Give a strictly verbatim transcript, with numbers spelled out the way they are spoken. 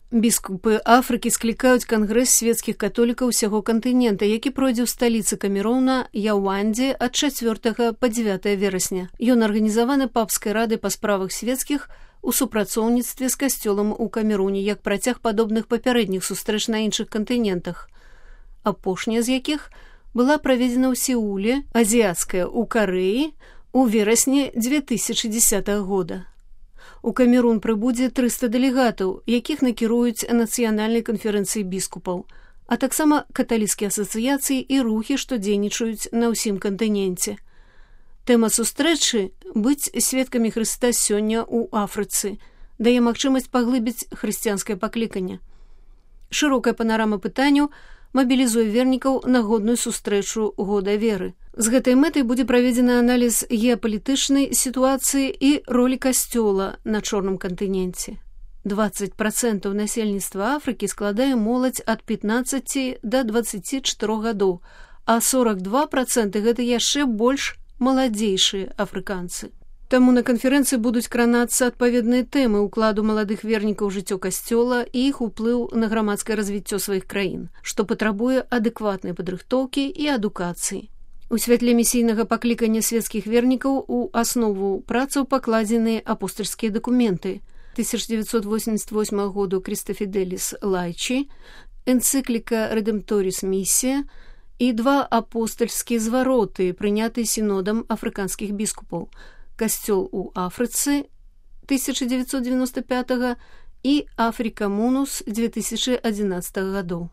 Біскупы Афрыкі склікаюць кангрэс свецкіх католікаў усяго кантынента, які пройдзе ў сталіцы Камеруна Яўандзе ад чацвёртага па дзевятае верасня. Ён арганізаваны папскай радай па справах свецкіх у супрацоўніцтве з касцёлам у Камеруне, як працяг падобных папярэдніх сустрэч на іншых кантынентах, апошняя з якіх была праведзена ў Сеуле, азіяцкая ў Карэі у верасні дзве тысячы дзесятага года. У Камерун прыбудзе трыста дэлегатаў, якіх накіруюць нацыянальнай канферэнцыі біскупаў, а таксама каталіцкія асацыяцыі і рухі, што дзейнічаюць на ўсім кантыненце. Тэма сустрэчы «Быць сведкамі Хрыста сёння ў Афрыцы» дае магчымасць паглыбіць хрысціянскае пакліканне. Шырокая панарама пытанняў мабілізуе вернікаў на годную сустрэчу года веры. З гэтай мэтай будзе праведзены аналіз геапалітычнай сітуацыі і ролі касцёла на чорным кантыненце. дваццаць працэнтаў насельніцтва Афрыкі складае моладзь ад пятнаццаці да дваццаці чатырох гадоў, а сорак два працэнты гэта яшчэ больш маладзейшыя афрыканцы. Таму на канферэнцыі будуць кранацца адпаведныя тэмы ўкладу маладых вернікаў у жыццё касцёла і іх уплыў на грамадскае развіццё сваіх краін, што патрабуе адэкватнай падрыхтоўкі і адукацыі. У святле місійнага паклікання свецкіх вернікаў у аснову працаў пакладзеныя апостальскія дакументы тысяча дзевяцьсот восемьдесят восьмага году Крыстофиделис Лайчи, энцыкліка Redemptoris Missия і два апостальскія звароты, прынятыя сінодам афрыканскіх біскупаў, «Касцёл у Афрыцы» тысяча дзевяцьсот девяносто пятага і «Африка Мунус» две тысячи одиннадцатага гадоў.